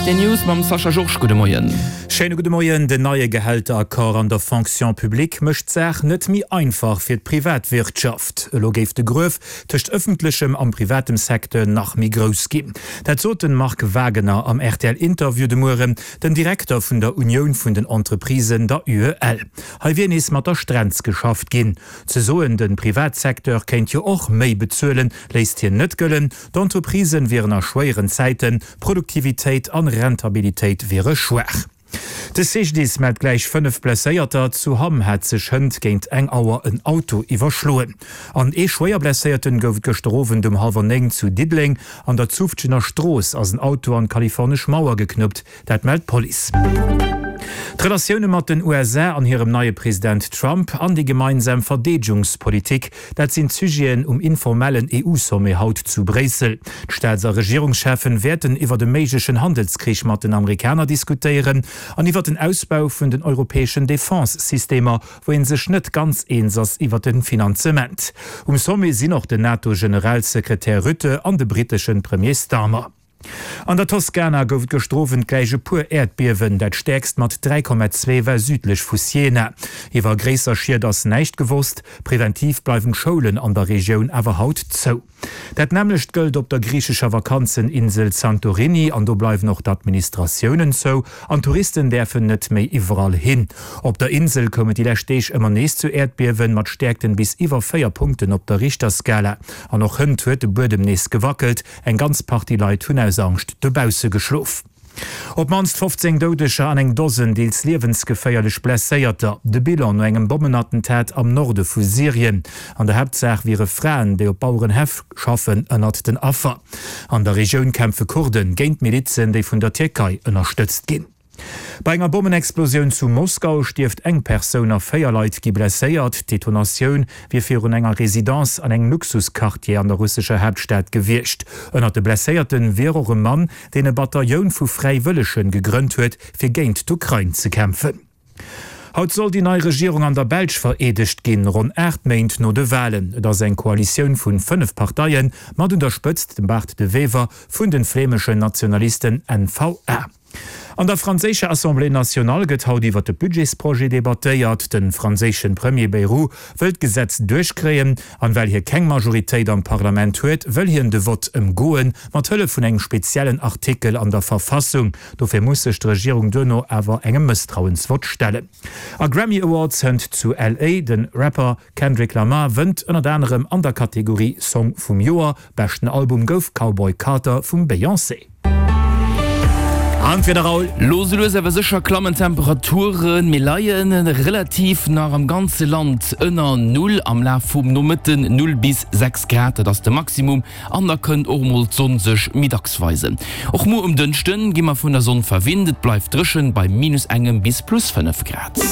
Rtl News mam Sascha Georges. Gudde Moien. Schéine gudde Moien. Den neie Gehälteraccord an der Fonction publique mécht d'Saach net méi einfach fir d'Privatwirtschaft. Elo géif de Gruef tëscht ëffentlechem am privatem Secteur nach méi grouss ginn. Dat sot den Marc Wagener am rtl Interview de Mueren, den Direkter vun der Unioun vun den Entreprisen, der UEL. Hei wier nees mat der Strenz geschafft ginn. Ze soen, de Privatsecteur kéint jo och méi bezuelen, léisst hien net gëllen. D'Entreprisen wieren a schwéieren Zäiten, Produktivitéit an Rentabilitéit wiere schwaach. De CGDIS mellt gläich 5 Blesséierter. Zu Hamm hat sech hënt géint eng Auer en Auto iwwerschloen. An ee Schwéierblesséierten gouf et gëschter Owend um hallwer 9 zu Diddeleng. An der Zufftgener Strooss ass en Auto an d'kalifornesch Mauer geknuppt. Dat mellt d'Police. D'Relatioune mat den USA an hirem neie President Trump an déi gemeinsam Verdeedegungspolitik, dat sinn d'Sujeten um informellen EU-Sommet haut zu Bréissel. D'Staats a Regierungscheffen wäerten iwwert e méiglechen Handelskrich mat den Amerikaner diskutéieren an iwwert den Ausbau vun den europäeschen Defense-Systemer, wou ee sech net ganz eens ass iwwert de Finanzement. Um Sommet sinn och den NATO-Generalsekretär Rutte an de britteschen Premier Starmer. An der Toskana gouf et gëschter Owend gläich e puer Äerdbiewen. Dat stäerkst mat 3,2 war südlech vu Siena. Iwwer gréisser Schied ass näischt gewosst. Preventiv bleiwen d'Schoulen an der Regioun awer haut zou. Dat nämmlecht gëllt op der griichescher Vakanzeninsel Santorini an do bleiwen och d'Administratiounen zou an d'Touristen däerfen net méi iwwerall hin. Op der Insel koum et déi lescht Deeg ëmmer nees zu Äerdbiewen mat Stäerkten bis iwwer 4 Punkten op der Richterskala. An och hënt huet de Buedem nees gewackelt. Eng ganz Partie Leit hunn aus Angscht dobausse geschlof. Op d'mannst 15 Doudeger an eng Dosen deels liewensgeféierlech Blesséierter. De Bilan no engem Bommenattentat am Norde vu Syrien. An der Haaptsaach wiere Fraen, déi op Bauerenhäff schaffen, ënnert den Affer. An der Regioun kämpfe Kurden géint Milizen, déi vun der Tierkei ënnerstëtzt ginn. Bei enger Bommenexplosioun zu Moskau stierft eng Persoun a 4 Leit gi blesséiert. D'Detonatioun wier virun enger Residence an engem Luxusquartier an der russescher Haaptstad gewiescht. Ënnert de Blesséierte wier och e Mann, deen e Batailloun vu Fräiwëllege gegrënnt huet, fir géint d'Ukrain ze kämpfen. Haut soll déi nei Regierung an der Belsch vereedegt ginn, ronn 8 Méint no de Walen. Et ass eng Koalitioun vun 5 Parteien, mat un der Spëtzt dem Bart De Wever vun de flämeschen Nationalisten N-VA. An der franséischer Assemblée nationale gëtt haut iwwer de Budgetsprojet debattéiert. De franséische Premier Bayrou wëll d'Gesetz duerchkréien. An well hie keng Majoritéit am Parlament huet, wëll hien de Vott ëmgoen, mat Hëllef vun engem speziellen Artikel an der Verfassung. Dofir muss sech d'Regierung duerno awer engem Mësstrauensvott stellen. A Grammy Awards hënt zu LA. De Rapper Kendrick Lamar wënnt ënnert anerem an der Kategorie Song vum Joer. Beschten Album gouf Cowboy Carter vum Beyoncé. An d'Wieder, Raoul? Lo sou lues awer sécher klammen d'Temperaturen. Mir leie relativ nach am ganze Land ënner Null. Am Laf vum Nomëtten 0 bis 6 Grad, dat ass de Maximum. An da kënnt och mol d'Sonn sech méi dacks weisen. Och muer um Dënschde gi mer vun der Sonn verwinnt. Et bleift dréchen bei minus engem bis plus 5 Grad.